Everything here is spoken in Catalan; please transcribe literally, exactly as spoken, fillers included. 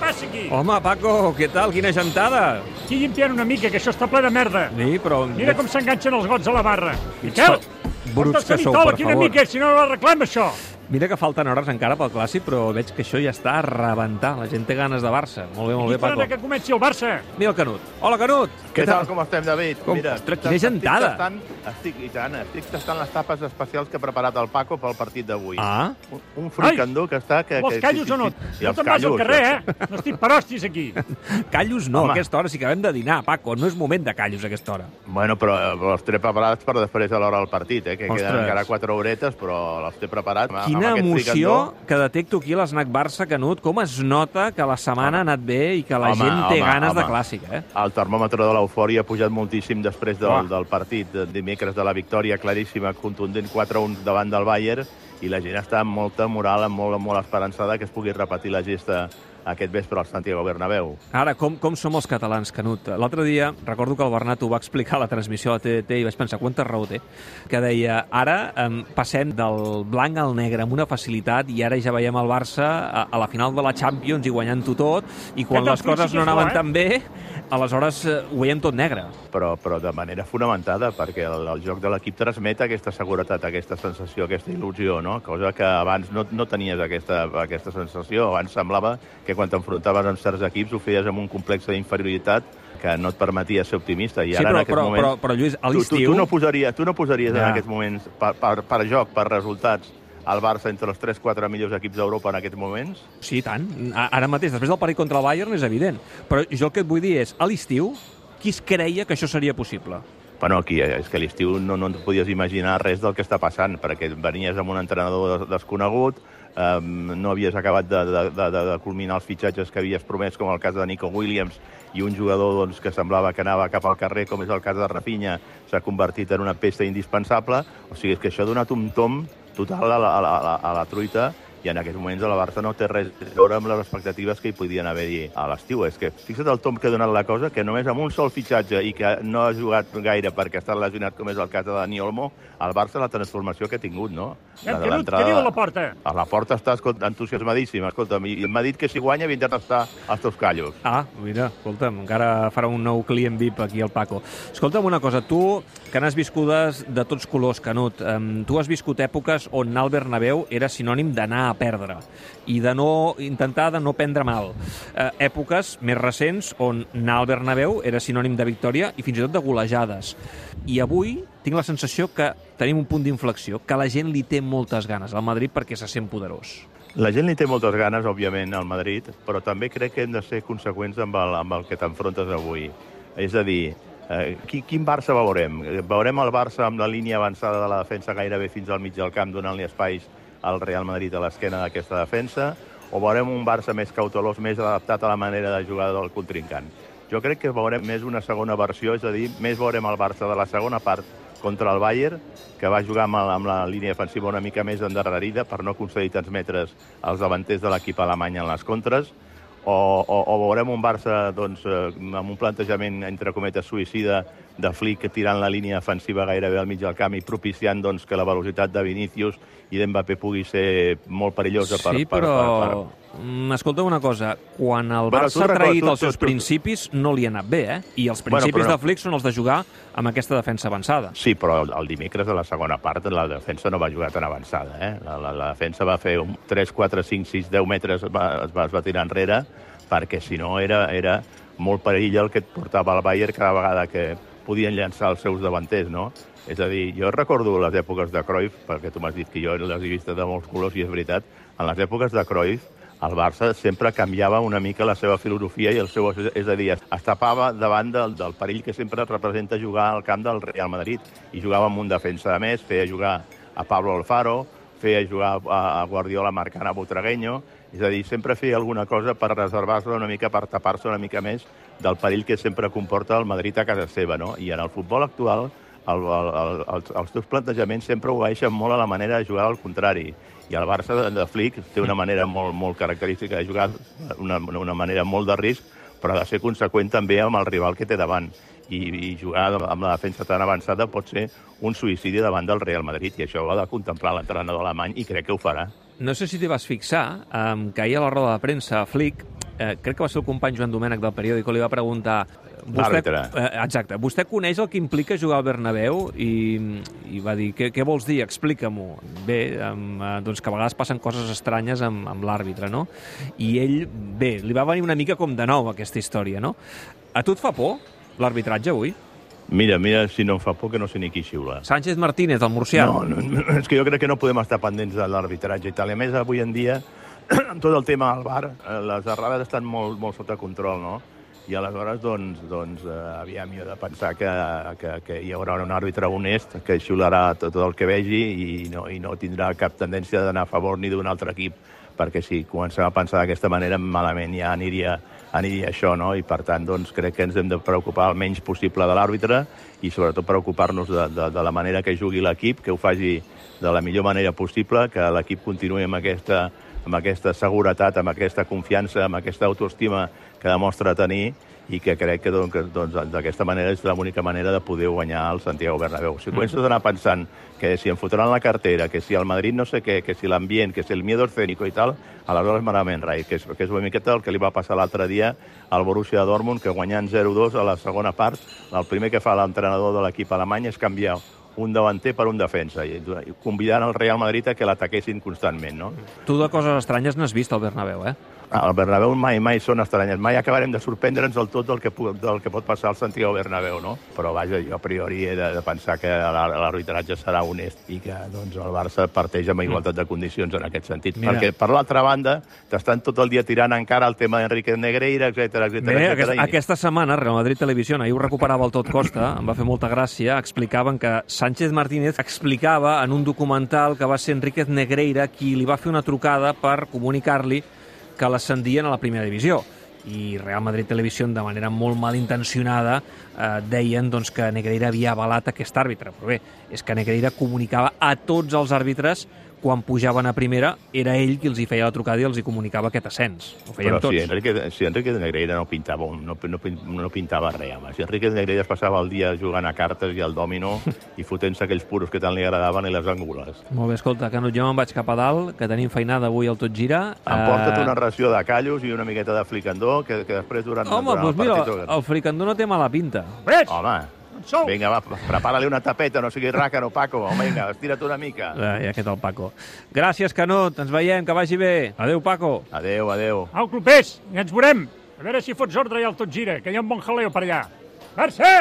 passa aquí? Home, Paco, què tal? Quina gentada! Aquí llimpiant una mica, que això està ple de merda. Sí, però... Mira com s'enganxen els gots a la barra. Miquel, bruts que sou, per favor. Quina mica, si no ho arreglem, això. Mira que falten hores encara pel Clàssic, però veig que això ja està a rebentar. La gent té ganes de Barça. Molt bé, molt bé, Paco. I que comenci el Barça. Mira el Canut. Hola, Canut. Què tal? Com estem, David? Com? Mira, Ostres, quina gentada. Estic tastant, estic, i tant, estic tastant les tapes especials que ha preparat el Paco pel partit d'avui. Ah. Un, un fricandó que està... Que, Vols que, callos o no? I No te'n vas al carrer, eh? No estic per hòsties aquí. Callos no, Home. a aquesta hora sí que acabem de dinar, Paco. No és moment de callos a aquesta hora. Bueno, però els té preparats per després a l'hora del partit, eh? Que Ostres. queden encara quatre horetes, però els té preparats. Quina amb emoció fricandó. que detecto aquí a l'Snac Barça, Canut. Com es nota que la setmana ha anat bé i que la Home, gent té home, ganes home. de Clàssic, eh? El termòmetre de l'eufòria ha pujat moltíssim després del, Uah. del partit de dimecres de la victòria claríssima, contundent quatre a un davant del Bayern, i la gent està amb molta moral, amb molt, molt esperançada que es pugui repetir la gesta aquest vespre al Santiago Bernabéu. Ara, com, com som els catalans, Canut? L'altre dia, recordo que el Bernat ho va explicar a la transmissió a la T D T i vaig pensar, quanta raó té? Que deia, ara em, passem del blanc al negre amb una facilitat i ara ja veiem el Barça a, a la final de la Champions i guanyant-ho tot, i quan Aquest les coses principi no és anaven bo, eh? tan bé, aleshores eh, ho veiem tot negre. Però, però de manera fonamentada, perquè el, el joc de l'equip transmet aquesta seguretat, aquesta sensació, aquesta il·lusió, no? Cosa que abans no, no tenies aquesta, aquesta sensació. Abans semblava que quan t'enfrontaves amb certs equips ho feies amb un complex d'inferioritat que no et permetia ser optimista. I Sí, ara, però, en aquests però, moments... però, però Lluís, a tu, tu, l'estiu... tu no posaries, tu no posaries Ja. en aquests moments, per, per, per joc, per resultats, el Barça entre els tres quatre millors equips d'Europa en aquests moments? Sí, tant. A- Ara mateix, després del partit contra el Bayern, és evident. Però jo el que et vull dir és, a l'estiu, qui es creia que això seria possible? Bueno, aquí és que a l'estiu no, no et podies imaginar res del que està passant, perquè venies amb un entrenador des- desconegut, um, no havies acabat de, de, de, de culminar els fitxatges que havies promès, com el cas de Nico Williams, i un jugador doncs, que semblava que anava cap al carrer, com és el cas de Rafinha, s'ha convertit en una peça indispensable. O sigui, és que això ha donat un tom total a la, a la, a la, a la truita, i en aquests moments a la Barça no té res a veure amb les expectatives que hi podien haver-hi a l'estiu. És que fixa't el tom que ha donat la cosa, que només amb un sol fitxatge i que no ha jugat gaire perquè ha estat lesionat, com és el cas de Dani Olmo, el Barça la transformació que ha tingut, no? Eh, Canut, què diu a la porta? A la porta està escolta, entusiasmadíssim, escolta'm, i m'ha dit que si guanya vindrà a tastar els teus callos. Ah, mira, escolta'm, encara farà un nou client V I P aquí al Paco. Escolta'm una cosa, tu, que n'has viscudes de tots colors, Canut, um, tu has viscut èpoques on anar al Bernabéu era sinònim d'anar a perdre i de no intentar de no prendre mal. Eh, èpoques més recents on anar al Bernabéu era sinònim de victòria i fins i tot de golejades. I avui tinc la sensació que tenim un punt d'inflexió, que la gent li té moltes ganes al Madrid perquè se sent poderós. La gent li té moltes ganes, òbviament, al Madrid, però també crec que hem de ser conseqüents amb el, amb el que t'enfrontes avui. És a dir, eh, quin, quin Barça veurem? Veurem el Barça amb la línia avançada de la defensa gairebé fins al mig del camp, donant-li espais al Real Madrid a l'esquena d'aquesta defensa, o veurem un Barça més cautelós, més adaptat a la manera de jugar del contrincant? Jo crec que veurem més una segona versió, és a dir, més veurem el Barça de la segona part contra el Bayern, que va jugar amb, amb la línia defensiva una mica més endarrerida per no aconseguir tants metres als davanters de l'equip alemany en les contres, o, o, o veurem un Barça doncs, amb un plantejament, entre cometes, suïcida de Flick tirant la línia defensiva gairebé al mig del camp i propiciant doncs, que la velocitat de Vinícius i d'Mbappé pugui ser molt perillosa. Per, Sí, per, però... per, per... Mm, escolta una cosa, quan el Bueno, Barça tu ha traït recorda- els seus tu- tu- principis no li ha anat bé, eh? I els Bueno, principis però no. de Flick són els de jugar amb aquesta defensa avançada. Sí, però el, el dimecres de la segona part la defensa no va jugar tan avançada. Eh? La, la, la defensa va fer un tres, quatre, cinc, sis, deu metres, es va, es va, es va tirar enrere, perquè si no era, era molt perill el que et portava el Bayern cada vegada que podien llançar els seus davanters, no? És a dir, jo recordo les èpoques de Cruyff, perquè tu m'has dit que jo les he vist de molts colors, i és veritat, en les èpoques de Cruyff, el Barça sempre canviava una mica la seva filosofia i el seu... És a dir, es tapava davant del, del perill que sempre representa jugar al camp del Real Madrid. I jugava amb un defensa de més, feia jugar a Pablo Alfaro, feia jugar a, a Guardiola marcant a Butragueño. És a dir, sempre feia alguna cosa per reservar-se una mica, per tapar-se una mica més del perill que sempre comporta el Madrid a casa seva, no? I en el futbol actual, el, el, el, els, els teus plantejaments sempre obeeixen molt a la manera de jugar al contrari. I el Barça de, de Flick té una manera molt, molt característica de jugar, una, una manera molt de risc, però ha de ser conseqüent també amb el rival que té davant. I, i jugar amb la defensa tan avançada pot ser un suïcidi davant del Real Madrid, i això ho ha de contemplar l'entrenador alemany, i crec que ho farà. No sé si t'hi vas fixar, um, que ahir a la roda de premsa Flick eh, crec que va ser el company Joan Domènech del periòdico, li va preguntar... L'àrbitre. Eh, exacte. Vostè coneix el que implica jugar al Bernabéu? I, i va dir, què, què vols dir? Explica-m'ho. Bé, um, doncs que a vegades passen coses estranyes amb, amb l'àrbitre, no? I ell, bé, li va venir una mica com de nou aquesta història, no? A tu et fa por l'arbitratge avui? Mira, mira, si no em fa por que no sé ni qui xiula. Sánchez Martínez, el murcià. No, no, és que jo crec que no podem estar pendents de l'arbitratge i tal. A més, avui en dia, tot el tema del V A R, les errades estan molt, molt sota control, no? I aleshores, doncs, doncs eh, aviam, jo he de pensar que, que, que hi haurà un àrbitre honest que xiularà tot, tot el que vegi i no, i no tindrà cap tendència d'anar a favor ni d'un altre equip, perquè si comencem a pensar d'aquesta manera, malament ja aniria, aniria això, no? I per tant, doncs, crec que ens hem de preocupar el menys possible de l'àrbitre i sobretot preocupar-nos de, de, de la manera que jugui l'equip, que ho faci de la millor manera possible, que l'equip continuï amb aquesta, amb aquesta seguretat, amb aquesta confiança, amb aquesta autoestima que demostra tenir i que crec que doncs, doncs, d'aquesta manera és l'única manera de poder guanyar el Santiago Bernabéu. Si comences a anar pensant que si em fotran la cartera, que si el Madrid no sé què, que si l'ambient, que si el miedo escénico i tal, aleshores malament rai, que és, que és una miqueta el que li va passar l'altre dia al Borussia Dortmund, que guanyant zero dos a la segona part, el primer que fa l'entrenador de l'equip alemany és canviar un davanter per un defensa, i convidant el Real Madrid a que l'ataquessin constantment, no? Tu de coses estranyes n'has vist al Bernabéu, eh? Al Bernabéu mai, mai són estranyes. Mai acabarem de sorprendre'ns del tot del que, del que pot passar al Santiago Bernabéu, no? Però, vaja, jo a priori he de, de pensar que l'arbitratge serà honest i que doncs, el Barça parteix amb igualtat de condicions en aquest sentit. Mira. Perquè, per l'altra banda, t'estan tot el dia tirant encara el tema d'Enrique Negreira, etcètera, etcètera. Bé, aquesta, aquesta setmana, Real Madrid Televisió, ahir ho recuperava el Tot Costa, em va fer molta gràcia, explicaven que Sánchez Martínez explicava en un documental que va ser Enrique Negreira qui li va fer una trucada per comunicar-li que l'ascendien a la primera divisió. I Real Madrid Televisió, de manera molt malintencionada, eh, deien doncs, que Negreira havia avalat aquest àrbitre. Però bé, és que Negreira comunicava a tots els àrbitres quan pujaven a primera, era ell qui els hi feia la trucada i els hi comunicava aquest ascens. Ho feien Però tots. Si Enrique, si Enrique de Negreira no pintava, no, no, no pintava res, home. Si Enrique de Negreira es passava el dia jugant a cartes i al dòmino i fotent-se aquells puros que tant li agradaven i les angules. Molt bé, escolta, Canut, jo me'n vaig cap a dalt, que tenim feinada avui al Tot Gira. Emporta't una ració de callos i una miqueta de fricandó, que, que després durant, Home, durant doncs el mira, partit... el fricandó no té mala pinta. Veig? Home, Sou. vinga, va, prepara-li una tapeta, no sigui ràcano, Paco. Home, vinga, estira't una mica. Eh, I aquest el Paco. Gràcies, Canut, ens veiem, que vagi bé. Adéu, Paco. Adéu, adéu. Au, clubers, i ens veurem. A veure si fots ordre ja al Tot Gira, que hi ha un bon jaleo per allà. Barça!